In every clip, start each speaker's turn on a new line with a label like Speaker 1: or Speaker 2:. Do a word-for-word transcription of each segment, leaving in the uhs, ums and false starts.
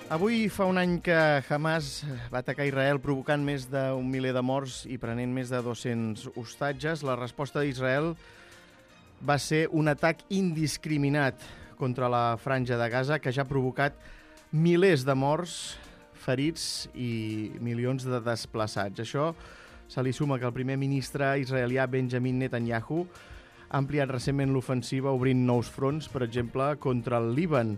Speaker 1: Avui fa un any que Hamas va atacar Israel provocant més d'un miler de morts i prenent més de dos-cents hostatges. La resposta d'Israel va ser un atac indiscriminat contra la franja de Gaza que ja ha provocat milers de morts, ferits i milions de desplaçats. Això se li suma que el primer ministre israelià Benjamin Netanyahu ha ampliat recentment l'ofensiva obrint nous fronts, per exemple, contra el Líban.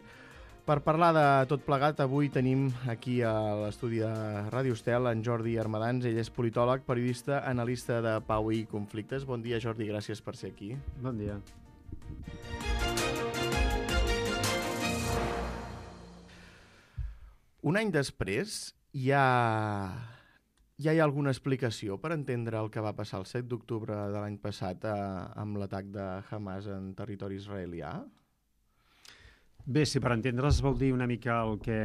Speaker 1: Per parlar de tot plegat, avui tenim aquí a l'estudi de Ràdio Estel en Jordi Armadans. Ell és politòleg, periodista, analista de pau i conflictes. Bon dia, Jordi, gràcies per ser aquí.
Speaker 2: Bon dia.
Speaker 1: Un any després, hi ha, ja hi ha alguna explicació per entendre el que va passar el set d'octubre de l'any passat eh, amb l'atac de Hamas en territori israelià?
Speaker 2: Bé, si per entendre's vol dir una mica el que,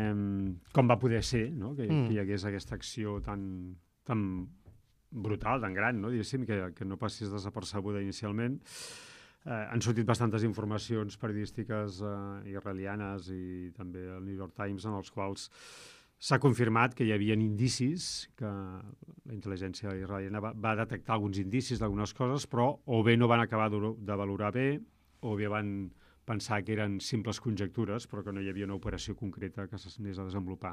Speaker 2: com va poder ser, no? que, mm. que hi hagués aquesta acció tan, tan brutal, tan gran, no? Diguéssim, que, que no passés desapercebuda inicialment. Eh, han sortit bastantes informacions periodístiques eh, israelianes i també el New York Times en els quals s'ha confirmat que hi havia indicis, que la intel·ligència israeliana va, va detectar alguns indicis d'algunes coses, però o bé no van acabar de, de valorar bé, o bé van pensar que eren simples conjectures, però que no hi havia una operació concreta que s'anés a desenvolupar.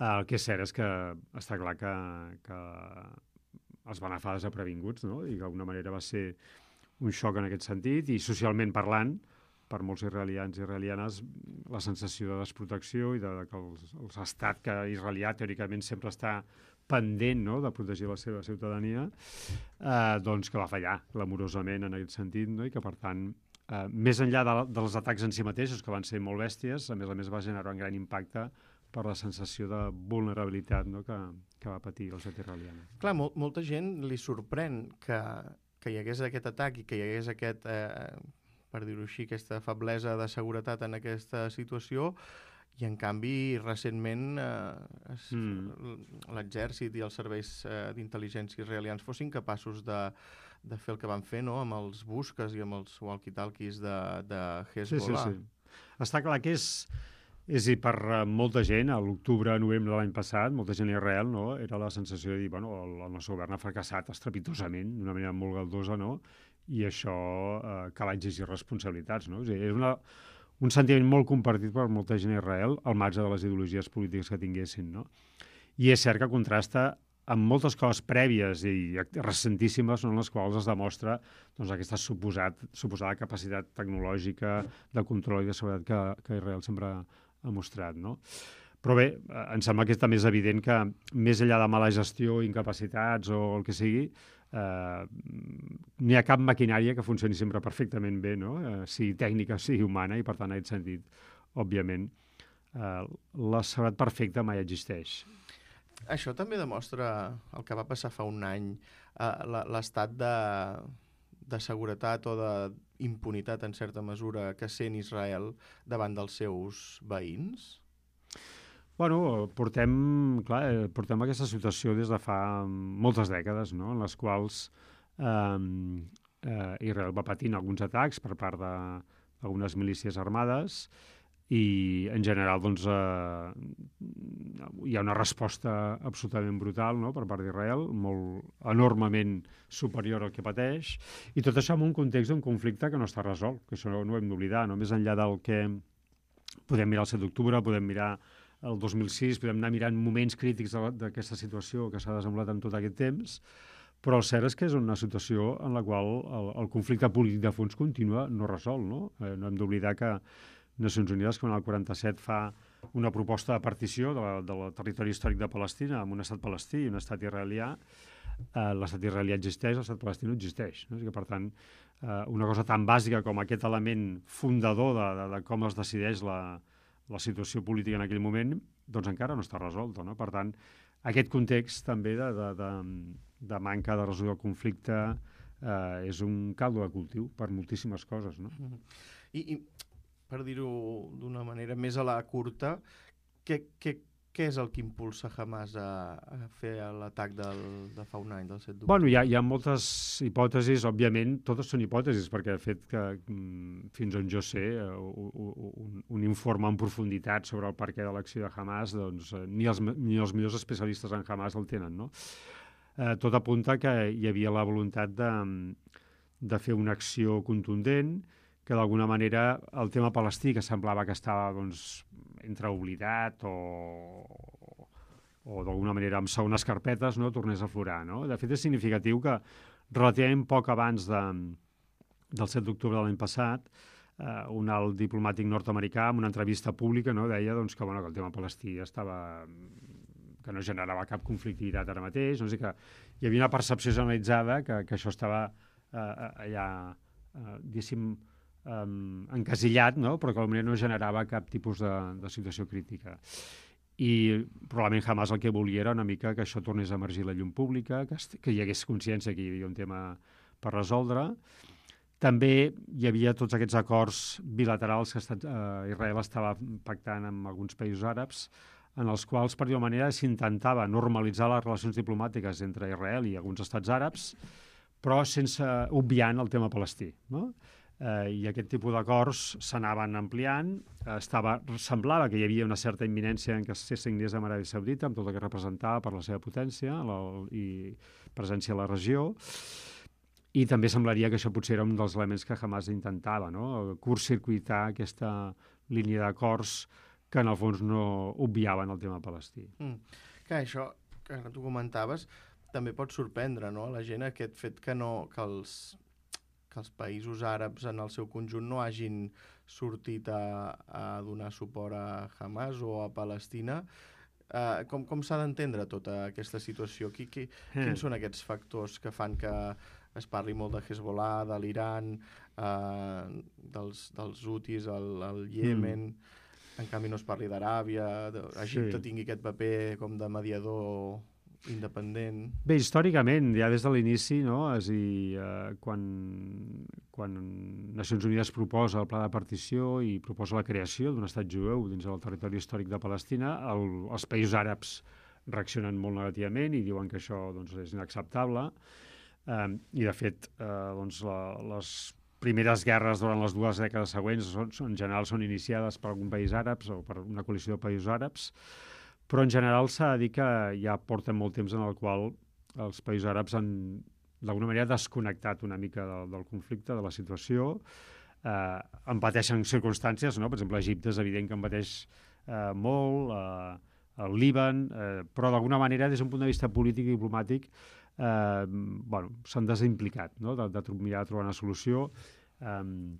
Speaker 2: El que és cert és que està clar que, que els van agafar desaprevinguts, no? I que d'alguna manera va ser un xoc en aquest sentit, i socialment parlant, per molts israelians i israelianes, la sensació de desprotecció i de, de que els, els estat que israelià teòricament sempre està pendent, no?, de protegir la seva ciutadania, eh, doncs que va fallar clamorosament en aquest sentit, no? I que per tant Uh, més enllà de, dels atacs en si mateixos, que van ser molt bèsties, a més a més va generar un gran impacte per la sensació de vulnerabilitat, no?, que, que va patir el set israeliana.
Speaker 1: Clar, mol, molta gent li sorprèn que, que hi hagués aquest atac i que hi hagués aquest, eh, per dir-ho així, aquesta feblesa de seguretat en aquesta situació, i en canvi recentment eh, es, mm. l'exèrcit i els serveis eh, d'intel·ligència israelians fossin capaços de de fer el que van fer, no?, amb els busques i amb els walkie-talkies de, de Hezbollah.
Speaker 2: Sí, sí, sí. Està clar que és, és i per molta gent, a l'octubre, novembre de l'any passat, molta gent a Israel, no?, era la sensació de dir, bueno, el, el nostre govern ha fracassat estrepitosament, d'una manera molt galdosa, no?, i això eh, cal exigir responsabilitats, no? O sigui, és una, un sentiment molt compartit per molta gent a Israel, al marge de les ideologies polítiques que tinguessin, no? I és cert que contrasta amb moltes coses prèvies i recentíssimes en les quals es demostra doncs, aquesta suposat, suposada capacitat tecnològica de control i de seguretat que, que Israel sempre ha mostrat, no? Però bé, em sembla que també és evident que més enllà de mala gestió, incapacitats o el que sigui, eh, no hi ha cap maquinària que funcioni sempre perfectament bé, no? Eh, sigui tècnica, sigui humana, i per tant, en aquest sentit, òbviament, eh, la seguretat perfecta mai existeix.
Speaker 1: Això també demostra el que va passar fa un any, eh, l'estat de, de seguretat o d'impunitat, en certa mesura, que sent Israel davant dels seus veïns?
Speaker 2: Bueno, portem, clar, portem aquesta situació des de fa moltes dècades, no?, en les quals eh, eh, Israel va patint alguns atacs per part d'algunes milícies armades, i en general doncs, eh, hi ha una resposta absolutament brutal, no?, per part d'Israel, molt enormement superior al que pateix, i tot això en un context d'un conflicte que no està resolt, que això no, no ho hem d'oblidar, no? Més enllà del que podem mirar el set d'octubre, podem mirar el dos mil sis, podem anar mirant moments crítics d'aquesta situació que s'ha desenvolupat en tot aquest temps, però el cert és que és una situació en la qual el, el conflicte polític de fons continua no resolt, no? Eh, no hem d'oblidar que Nacions Unides, quan el quaranta-set fa una proposta de partició de la, del territori històric de Palestina amb un estat palestí i un estat israelià, eh, l'estat israelià existeix, l'estat palestí no existeix, no? O sigui que, per tant, eh, una cosa tan bàsica com aquest element fundador de, de, de com es decideix la, la situació política en aquell moment, doncs encara no està resolta, no? Per tant, aquest context també de, de, de, de manca de resolució del conflicte eh, és un caldo de cultiu per moltíssimes coses, no?
Speaker 1: I, i per dir-ho d'una manera més a la curta, què, què què és el que impulsa Hamas a, a fer l'atac del, de fa un any, del set d'octubre?
Speaker 2: Bueno, hi ha, hi ha moltes hipòtesis, òbviament, totes són hipòtesis, perquè de fet que, fins on jo sé, un, un informe en profunditat sobre el perquè de l'acció de Hamas, doncs ni els, ni els millors especialistes en Hamas el tenen, no? Eh, tot apunta que hi havia la voluntat de, de fer una acció contundent, que d'alguna manera el tema palestí, que semblava que estava doncs, entre oblidat o, o d'alguna manera amb segones carpetes, no, tornés a aflorar. No? De fet, és significatiu que relativament poc abans de, del set d'octubre de l'any passat, eh, un alt diplomàtic nord-americà, en una entrevista pública, no, deia doncs, que, bueno, que el tema palestí estava que no generava cap conflictivitat ara mateix, no? O sigui que hi havia una percepció generalitzada que, que això estava eh, allà, eh, diguéssim, Um, encasillat, no? Però que potser no generava cap tipus de, de situació crítica. I probablement Hamas el que volia era una mica que això tornés a emergir la llum pública, que, que hi hagués consciència que hi havia un tema per resoldre. També hi havia tots aquests acords bilaterals que estat, eh, Israel estava pactant amb alguns països àrabs, en els quals, per dir-ho manera, s'intentava normalitzar les relacions diplomàtiques entre Israel i alguns estats àrabs, però sense obviant el tema palestí, no? Eh, i aquest tipus d'acords s'anaven ampliant, eh, estava, semblava que hi havia una certa imminència en què se signés amb Aràbia Saudita, amb tot el que representava per la seva potència la, i presència a la regió, i també semblaria que això potser era un dels elements que Hamas intentava, no? Curtcircuitar aquesta línia d'acords que en el fons no obviaven el tema palestí.
Speaker 1: Mm. Que això que tu comentaves també pot sorprendre, no? A la gent aquest fet que, no, que els que els països àrabs en el seu conjunt no hagin sortit a, a donar suport a Hamas o a Palestina. Uh, com com s'ha d'entendre tota aquesta situació? Qui, qui, mm. Quins són aquests factors que fan que es parli molt de Hezbollah, de l'Iran, uh, dels, dels Houthis al, al Iemen, mm. en canvi no es parli d'Aràbia, Egipte sí. tingui aquest paper com de mediador independent?
Speaker 2: Bé, històricament, ja des de l'inici, no? És a dir, eh, quan, quan Nacions Unides proposa el pla de partició i proposa la creació d'un estat jueu dins del territori històric de Palestina, el, els països àrabs reaccionen molt negativament i diuen que això doncs, és inacceptable. Eh, I, de fet, eh, doncs, la, les primeres guerres durant les dues dècades següents són, en general són iniciades per algun país àrabs o per una coalició de països àrabs, però en general s'ha de dir que ja porten molt temps en el qual els països àrabs han, d'alguna manera, desconnectat una mica del, del conflicte, de la situació. Eh, en pateixen circumstàncies, no? Per exemple, Egipte és evident que en pateix eh, molt, eh, el Líban, eh, però d'alguna manera, des d'un punt de vista polític i diplomàtic, eh, bueno, s'han desimplicat, no? de, de mirar de trobar una solució. Eh,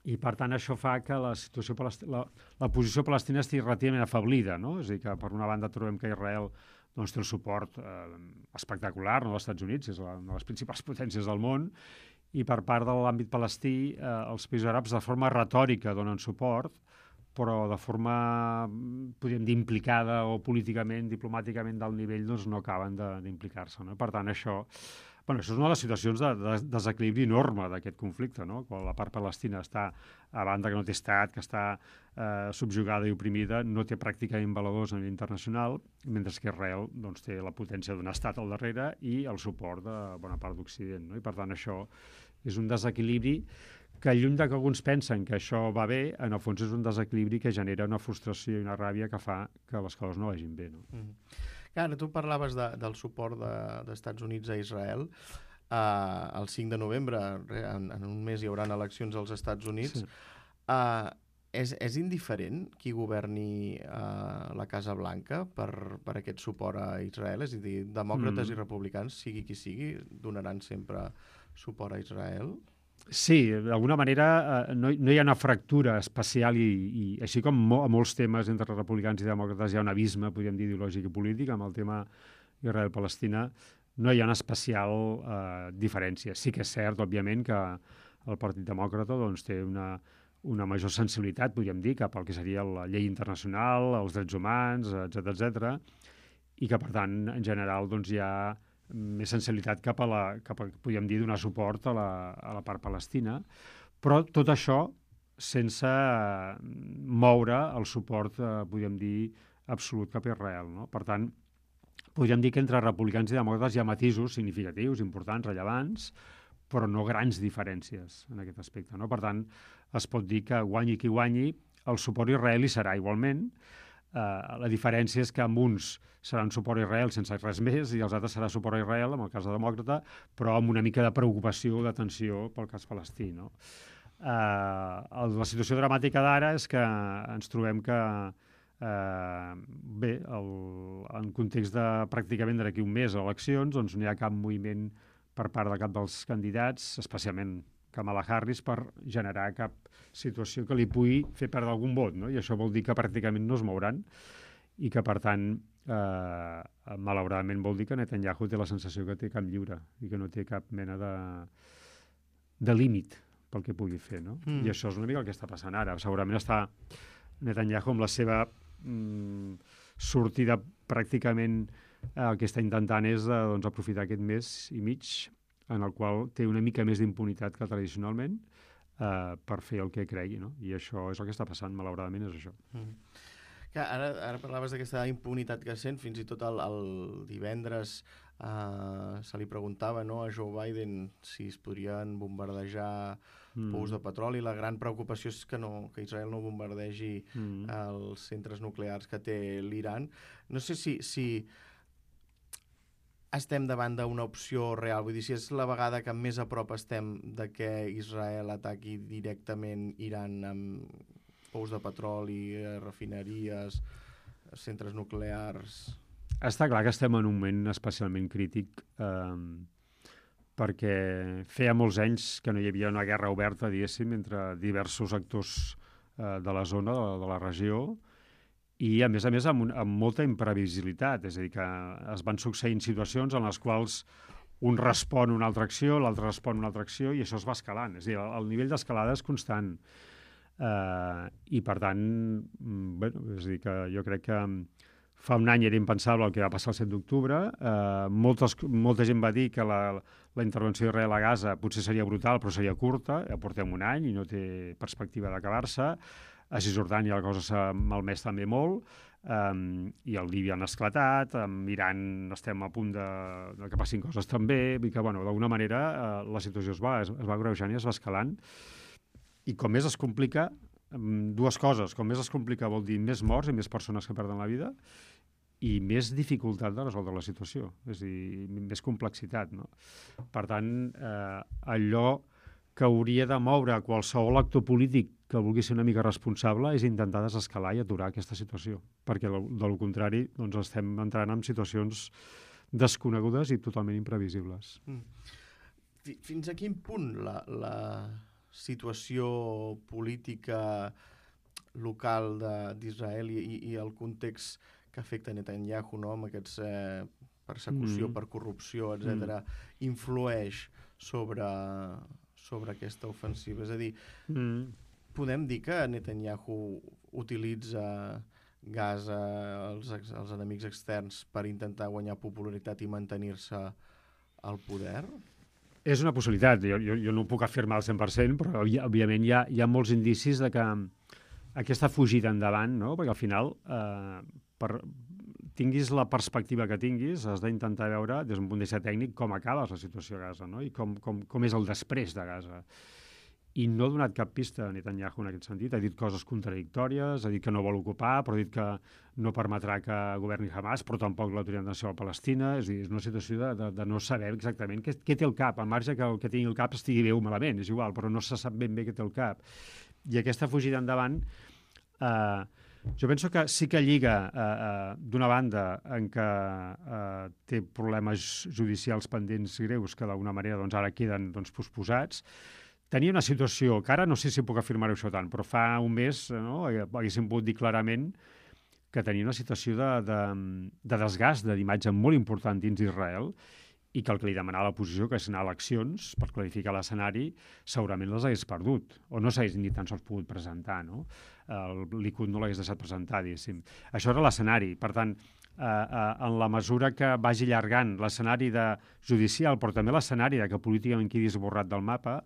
Speaker 2: I, per tant, això fa que la situació la, la posició palestina estigui relativament afablida, no? És a dir, que per una banda trobem que Israel doncs, té un suport eh, espectacular, no, dels Estats Units, és la, una de les principals potències del món, i per part de l'àmbit palestí, eh, els països àrabs de forma retòrica donen suport, però de forma, podríem dir, implicada o políticament, diplomàticament d'alt nivell, doncs no acaben d'implicar-se, no? Per tant, això... Bueno, això és una de les situacions de, de desequilibri enorme d'aquest conflicte, no? Quan la part palestina està a banda que no té estat, que està eh, subjugada i oprimida, no té pràcticament valedors a nivell internacional, mentre que Israel doncs, té la potència d'un estat al darrere i el suport de bona part d'Occident, no? I per tant això és un desequilibri que lluny de que alguns pensen que això va bé, en el fons és un desequilibri que genera una frustració i una ràbia que fa que les coses no vagin bé, no?
Speaker 1: Mm. Ara, tu parlaves de, del suport de, d'Estats Units a Israel. Uh, el cinc de novembre, en, en un mes, hi haurà eleccions als Estats Units. Sí. Uh, és, és indiferent qui governi uh, la Casa Blanca per, per aquest suport a Israel? És a dir, demòcrates mm. i republicans, sigui qui sigui, donaran sempre suport a Israel?
Speaker 2: Sí, d'alguna manera eh, no, no hi ha una fractura especial i, i així com mo, a molts temes entre republicans i demòcrates hi ha un abisme, podríem dir, ideològic i polític, amb el tema Israel-Palestina no hi ha una especial eh, diferència. Sí que és cert, òbviament, que el Partit Demòcrata doncs, té una, una major sensibilitat, podríem dir, cap al que seria la llei internacional, els drets humans, etcètera, etcètera, i que, per tant, en general, doncs, hi ha més sensibilitat cap a, la, cap a, podríem dir, donar suport a la, a la part palestina, però tot això sense moure el suport, eh, podríem dir, absolut cap a Israel, no? Per tant, podríem dir que entre republicans i demòcrates hi ha matisos significatius, importants, rellevants, però no grans diferències en aquest aspecte, no? Per tant, es pot dir que guanyi qui guanyi, el suport a Israel hi serà igualment. Uh, la diferència és que amb uns serà un suport a Israel sense res més i els altres serà suport a Israel, en el cas de demòcrata, però amb una mica de preocupació o d'atenció pel cas palestí, no? Uh, la situació dramàtica d'ara és que ens trobem que uh, bé, el, en context de pràcticament d'aquí un mes eleccions, doncs no hi ha cap moviment per part de cap dels candidats, especialment Kamala Harris, per generar cap situació que li pugui fer perdre algun vot, no? I això vol dir que pràcticament no es mouran i que, per tant, eh, malauradament vol dir que Netanyahu té la sensació que té camp lliure i que no té cap mena de, de límit pel que pugui fer, no? Mm. I això és una mica el que està passant ara. Segurament està Netanyahu amb la seva mm, sortida pràcticament eh, el que està intentant és eh, doncs, aprofitar aquest mes i mig en el qual té una mica més d'impunitat que tradicionalment eh, per fer el que cregui, no? I això és el que està passant, malauradament és això.
Speaker 1: Mm. Que ara, ara parlaves d'aquesta impunitat que sent, fins i tot el, el divendres eh, se li preguntava, no, a Joe Biden si es podrien bombardejar mm. pous de petroli. La gran preocupació és que, no, que Israel no bombardegi mm. els centres nuclears que té l'Iran. No sé si, si estem davant d'una opció real, vull dir, si és la vegada que més a prop estem de que Israel ataqui directament Iran amb pous de petroli, refineries, centres nuclears.
Speaker 2: Està clar que estem en un moment especialment crític eh, perquè feia molts anys que no hi havia una guerra oberta, diguéssim, entre diversos actors eh, de la zona, de la, de la regió, i, a més a més, amb, un, amb molta imprevisibilitat. És a dir, que es van succeint situacions en les quals un respon una altra acció, l'altre respon una altra acció, i això es va escalant. És a dir, el, el nivell d'escalada és constant. Uh, I, per tant, bueno, és a dir, que jo crec que fa un any era impensable el que va passar el set d'octubre. Uh, moltes, molta gent va dir que la, la intervenció d'Israel a Gaza potser seria brutal, però seria curta. Ja portem un any i no té perspectiva d'acabar-se. A Cisjordània la cosa s'ha malmès també molt, um, i el Líbia han esclatat, amb Iran estem a punt de, de que passin coses també, i que, bueno, d'alguna manera uh, la situació es va, es, es va greujant i es va escalant. I com més es complica, um, dues coses, com més es complica vol dir més morts i més persones que perden la vida, i més dificultat de resoldre la situació, és a dir, més complexitat, no? Per tant, eh, allò que hauria de moure qualsevol actor polític que vulgui ser una mica responsable és intentar desescalar i aturar aquesta situació, perquè del contrari doncs estem entrant en situacions desconegudes i totalment imprevisibles. Mm.
Speaker 1: Fins a quin punt la, la situació política local d'Israel i, i el context que afecta Netanyahu, no, amb aquests eh, persecució mm. per corrupció, etcètera, mm. influeix sobre, sobre aquesta ofensiva? És a dir, mm. podem dir que Netanyahu utilitza Gaza, els, els enemics externs, per intentar guanyar popularitat i mantenir-se al poder?
Speaker 2: És una possibilitat. Jo, jo, jo no ho puc afirmar al cent per cent, però òbviament hi ha, hi ha molts indicis de que aquesta fugida endavant, no? Perquè al final, eh, per, tinguis la perspectiva que tinguis, has d'intentar veure, des d'un punt de vista tècnic, com acaba la situació a Gaza, no? I com, com, com és el després de Gaza. I no ha donat cap pista a Netanyahu en aquest sentit. Ha dit coses contradictòries, ha dit que no vol ocupar, però ha dit que no permetrà que governi Hamas, però tampoc l'Autoritat Nacional Palestina. És a dir, és una situació de, de, de no saber exactament què, què té el cap, al marge que el que tingui el cap estigui bé o malament, és igual, però no se sap ben bé què té el cap. I aquesta fugida endavant, eh, jo penso que sí que lliga, eh, eh, d'una banda, en què eh, té problemes judicials pendents greus que d'alguna manera doncs, ara queden doncs, posposats. Tenia una situació, que ara no sé si puc afirmar-ho això tant, però fa un mes, no, haguéssim pogut dir clarament que tenia una situació de, de, de desgast d'imatge molt important dins d'Israel i que el que li demanava a l'oposició, que és anar a eleccions per clarificar l'escenari, segurament les hagués perdut, o no s'hagués ni tan sols pogut presentar, no? El Likud no l'hagués deixat presentar, diguéssim. Això era l'escenari. Per tant, eh, eh, en la mesura que vagi allargant l'escenari de judicial, però també l'escenari de que políticament quedi esborrat del mapa,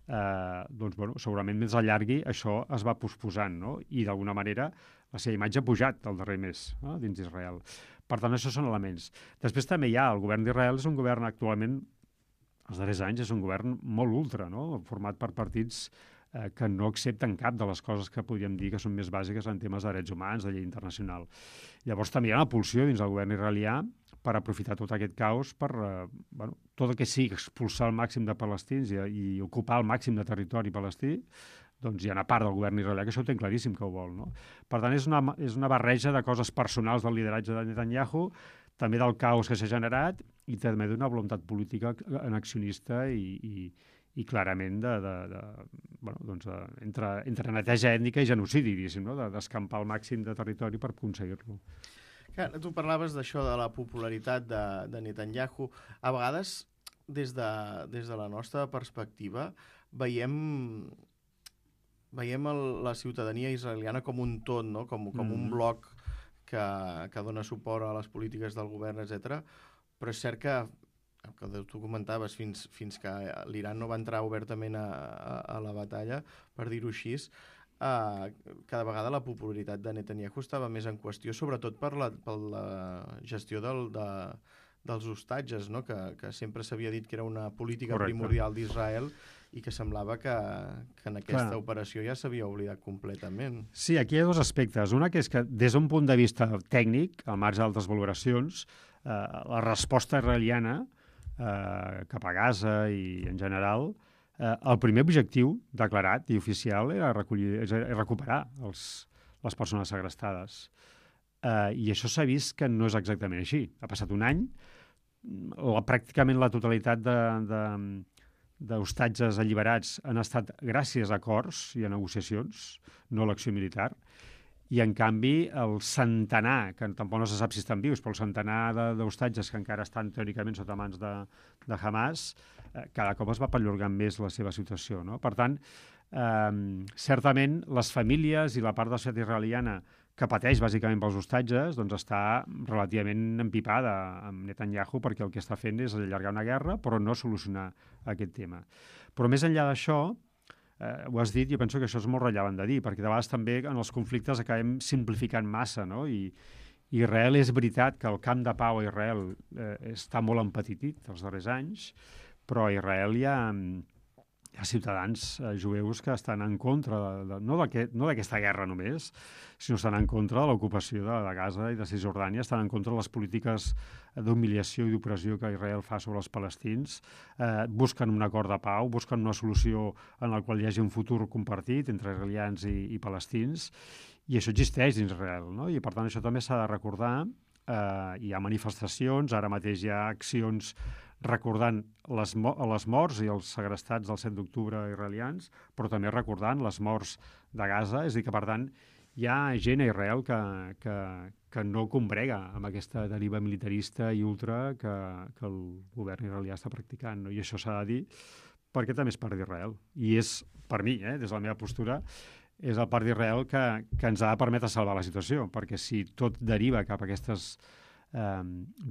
Speaker 2: eh, doncs, bueno, segurament més allargui, això es va posposant, no? I d'alguna manera la seva imatge ha pujat el darrer mes, no? Dins d'Israel. Per tant, això són elements. Després també hi ha, el govern d'Israel és un govern actualment, els darrers anys, és un govern molt ultra, no? Format per partits eh, que no accepten cap de les coses que podríem dir que són més bàsiques en temes de drets humans, de llei internacional. Llavors també hi ha una pulsió dins del govern israelià per aprofitar tot aquest caos per, eh, bueno, tot el que sigui expulsar el màxim de palestins i, i ocupar el màxim de territori palestí, doncs hi ha una part del govern israelià que això ho té claríssim que ho vol, no? Per tant, és una, és una barreja de coses personals del lideratge de Netanyahu, també del caos que s'ha generat i també d'una voluntat política annexionista i, i, i clarament de, de, de, bueno, doncs de, entre, entre neteja ètnica i genocidi, diguéssim, no? De, d'escampar el màxim de territori per aconseguir-lo.
Speaker 1: Clar, tu parlaves d'això, de la popularitat de, de Netanyahu. A vegades, des de, des de la nostra perspectiva, veiem... veiem el, la ciutadania israeliana com un tot, no? com, com mm. un bloc que, que dona suport a les polítiques del govern, etcètera. Però és cert que, el que tu comentaves, fins, fins que l'Iran no va entrar obertament a, a, a la batalla, per dir-ho així, uh, cada vegada la popularitat de Netanyahu estava més en qüestió, sobretot per la, per la gestió del, de, dels hostatges, no? que, que sempre s'havia dit que era una política Correcte. primordial d'Israel, i que semblava que, que en aquesta Clar. operació ja s'havia oblidat completament.
Speaker 2: Sí, aquí hi ha dos aspectes. Una que és que des d'un punt de vista tècnic, al marge d'altres valoracions, eh, la resposta israeliana eh, cap a Gaza i en general, eh, el primer objectiu declarat i oficial era, recollir, era recuperar els, les persones segrestades. Eh, I això s'ha vist que no és exactament així. Ha passat un any, la, pràcticament la totalitat de... de d'hostatges alliberats han estat gràcies a acords i a negociacions, no a l'acció militar, i en canvi el centenar, que tampoc no se sap si estan vius, però el centenar d'hostatges que encara estan teòricament sota mans de, de Hamas, eh, cada cop es va perllongant més la seva situació, no? Per tant, eh, certament les famílies i la part de la societat israeliana que pateix bàsicament pels hostatges, doncs està relativament empipada amb Netanyahu perquè el que està fent és allargar una guerra però no solucionar aquest tema. Però més enllà d'això, eh, ho has dit, jo penso que això és molt rellevant de dir, perquè de vegades també en els conflictes acabem simplificant massa, no? I Israel és veritat que el camp de pau a Israel eh, està molt empetitit els darrers anys, però a Israel hi ha... hi ha ciutadans eh, jueus que estan en contra, de, de, no d'aquesta guerra només, sinó estan en contra de l'ocupació de, de Gaza i de Cisjordània, estan en contra de les polítiques d'humiliació i d'opressió que Israel fa sobre els palestins, eh, busquen un acord de pau, busquen una solució en la qual hi hagi un futur compartit entre israelians i, i palestins, i això existeix dins Israel, no? I per tant això també s'ha de recordar. Eh, hi ha manifestacions, ara mateix hi ha accions recordant les, mo les morts i els segrestats del set d'octubre israelians, però també recordant les morts de Gaza, és a dir que, per tant, hi ha gent a Israel que, que, que no combrega amb aquesta deriva militarista i ultra que, que el govern israelià està practicant, no? I això s'ha de dir perquè també és part d'Israel. I és, per mi, eh, des de la meva postura, és el part d'Israel que, que ens ha de permetre salvar la situació, perquè si tot deriva cap a aquestes Eh,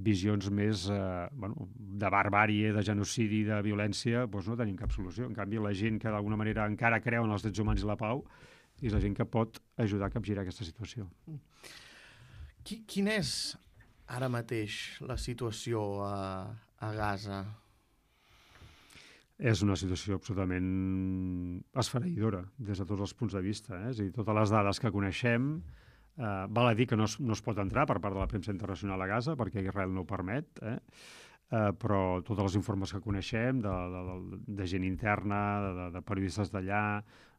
Speaker 2: visions més eh, bueno, de barbàrie, de genocidi, de violència, doncs no tenim cap solució. En canvi, la gent que d'alguna manera encara creu en els drets humans i la pau és la gent que pot ajudar a capgirar aquesta situació.
Speaker 1: Quin és ara mateix la situació a, a Gaza?
Speaker 2: És una situació absolutament esfereïdora des de tots els punts de vista. Eh? És a dir, totes les dades que coneixem. Uh, val a dir que no es, no es pot entrar per part de la premsa internacional a Gaza perquè Israel no ho permet, eh? uh, però totes les informes que coneixem de, de, de, de gent interna, de, de periodistes d'allà,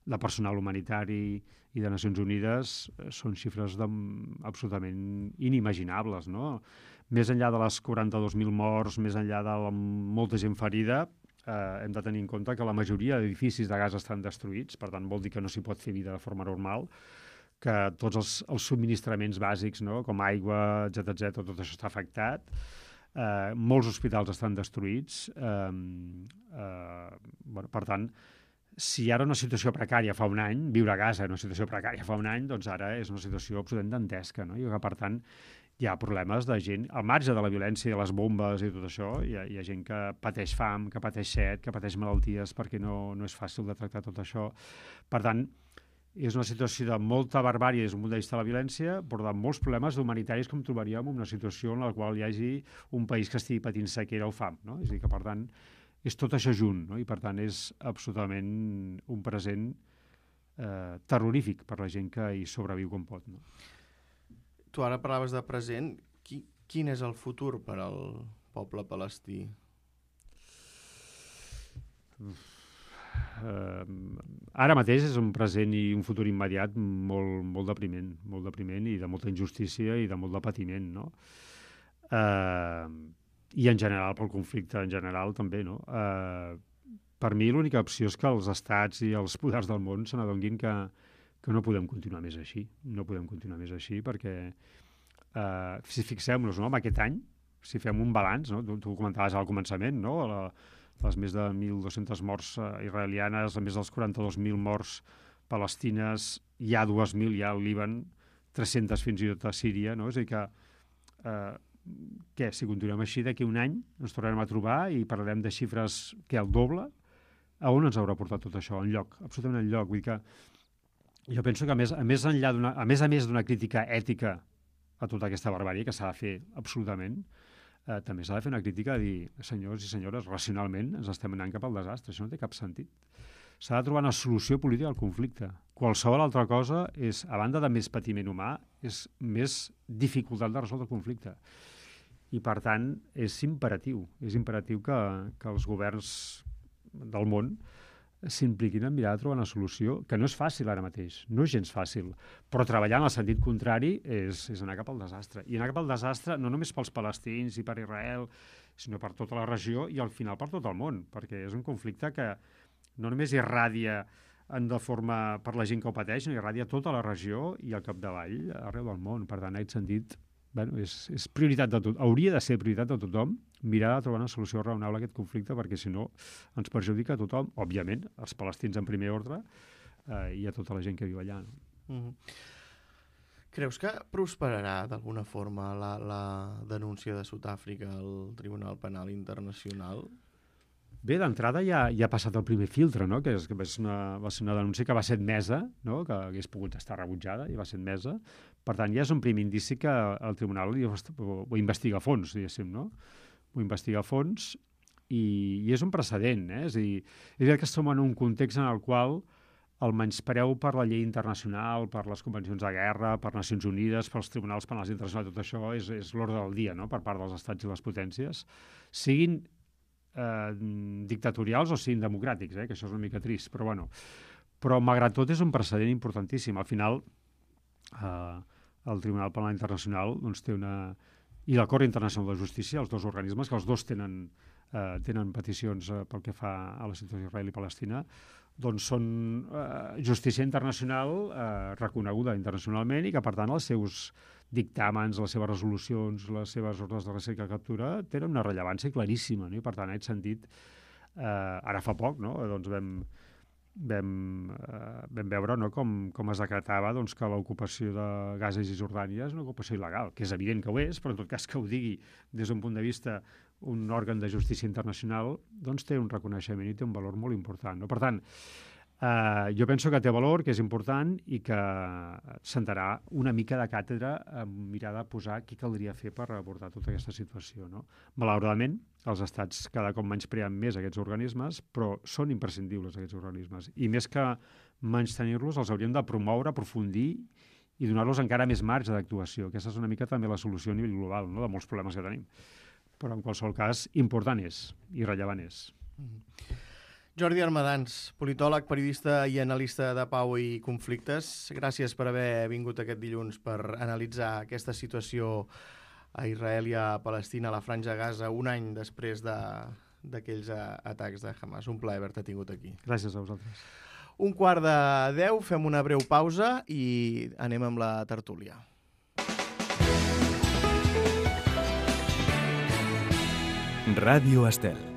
Speaker 2: de personal humanitari i de Nacions Unides eh, són xifres de, absolutament inimaginables, no? Més enllà de les quaranta-dos mil morts, més enllà de la, molta gent ferida, eh, hem de tenir en compte que la majoria d'edificis de Gaza estan destruïts, per tant vol dir que no s'hi pot fer vida de forma normal, que tots els, els subministraments bàsics, no? Com aigua, etcètera, etcètera, tot això està afectat. Eh, molts hospitals estan destruïts. Eh, eh, bueno, per tant, si ara una situació precària fa un any, viure a Gaza en una situació precària fa un any, doncs ara és una situació absolutament dantesca, no? I que, per tant, hi ha problemes de gent, al marge de la violència i les bombes i tot això, hi ha, hi ha gent que pateix fam, que pateix set, que pateix malalties perquè no, no és fàcil de tractar tot això. Per tant, és una situació de molta barbàrie des d'un punt de vista de la violència, però de molts problemes humanitaris com trobaríem en una situació en la qual hi hagi un país que estigui patint sequera o fam, no? És a dir, que per tant és tot això junt, no? I per tant és absolutament un present eh, terrorífic per la gent que hi sobreviu com pot, no?
Speaker 1: Tu ara parlaves de present. Qui, quin és el futur per al poble palestí?
Speaker 2: Uh, ara mateix és un present i un futur immediat molt, molt depriment, molt depriment i de molta injustícia i de molt de patiment, no? Uh, I en general, pel conflicte en general també, no? Uh, per mi l'única opció és que els estats i els poders del món se n'adonguin que que no podem continuar més així, no podem continuar més així perquè eh, si fixem-nos, no, en aquest any, si fem un balanç, no, tu, tu ho comentaves al començament, no, la, les més de mil dos-centes morts eh, israelianes, més dels quaranta-dos mil morts palestines, hi ha dos mil ja al Líban, tres-centes fins i tot a Síria, no? És a dir que, eh, què, si continuem així d'aquí un any ens tornarem a trobar i parlarem de xifres que el doble, a on ens haurà portat tot això? Enlloc, absolutament enlloc, vull dir que jo penso que a més a més enllà d'una a més a més d'una crítica ètica a tota aquesta barbàrie que s'ha de fer absolutament, eh, també s'ha de fer una crítica a dir, senyors i senyores, racionalment ens estem anant cap al desastre, això no té cap sentit. S'ha de trobar una solució política al conflicte. Qualsevol altra cosa és, a banda de més patiment humà, és més dificultat de resoldre el conflicte. I per tant, és imperatiu, és imperatiu que, que els governs del món s'impliquin en mirar de trobar una solució, que no és fàcil ara mateix, no és gens fàcil, però treballar en el sentit contrari és, és anar cap al desastre. I anar cap al desastre no només pels palestins i per Israel, sinó per tota la regió i al final per tot el món, perquè és un conflicte que no només irradia en de forma per la gent que ho pateix, sinó irradia tota la regió i al capdavall arreu del món. Per tant, en aquest sentit, bueno, és, és prioritat de tot, hauria de ser prioritat de tothom mirar de trobar una solució raonable a aquest conflicte, perquè si no ens perjudica a tothom, òbviament, els palestins en primer ordre eh, i a tota la gent que viu allà. No?
Speaker 1: Mm-hmm. Creus que prosperarà d'alguna forma la, la denúncia de Sud-àfrica al Tribunal Penal Internacional?
Speaker 2: Bé, d'entrada ja, ja ha passat el primer filtre, no? Que, és, que va, ser una, va ser una denúncia que va ser admesa, no? Que hagués pogut estar rebutjada i va ser admesa. Per tant, ja és un primer indici que el tribunal ho, ho investiga a fons, diguéssim, no? Ho investiga a fons i, i és un precedent, eh? És a dir, és que estem en un context en el qual el menyspreu per la llei internacional, per les convencions de guerra, per Nacions Unides, pels tribunals penals internacionals, tot això és, és l'ordre del dia, no? Per part dels estats i les potències, siguin Eh, dictatorials o siguin democràtics, eh, que això és una mica trist, però bueno. Però malgrat tot és un precedent importantíssim. Al final, eh, el Tribunal Penal Internacional doncs, té una... i la Cort Internacional de Justícia, els dos organismes, que els dos tenen, eh, tenen peticions eh, pel que fa a la situació d'Israel i Palestina, doncs són eh, justícia internacional eh, reconeguda internacionalment i que, per tant, els seus dictàmens, les seves resolucions, les seves ordres de recerca i captura tenen una rellevància claríssima, no? I per tant, en aquest sentit, eh, ara fa poc, no? doncs vam, vam, eh, vam veure no? com, com es decretava doncs, que l'ocupació de Gaza i Cisjordània és una ocupació il·legal, que és evident que ho és, però en tot cas que ho digui des d'un punt de vista un òrgan de justícia internacional, doncs té un reconeixement i té un valor molt important. No? Per tant, Uh, jo penso que té valor, que és important i que sentarà una mica de càtedra a mirar de posar què caldria fer per abordar tota aquesta situació. No? Malauradament, els estats cada cop menyspreen més aquests organismes, però són imprescindibles aquests organismes. I més que menystenir-los, els hauríem de promoure, aprofundir i donar-los encara més marge d'actuació. Aquesta és una mica també la solució a nivell global, no? De molts problemes que tenim. Però en qualsevol cas, important és i rellevant és.
Speaker 1: Mm-hmm. Jordi Armadans, politòleg, periodista i analista de pau i conflictes. Gràcies per haver vingut aquest dilluns per analitzar aquesta situació a Israel i a Palestina, a la Franja de Gaza, un any després d'aquells de, atacs de Hamas. Un plaer haver-te tingut aquí.
Speaker 2: Gràcies a vosaltres.
Speaker 1: Un quart de deu, fem una breu pausa i anem amb la tertúlia.
Speaker 3: Ràdio Estel.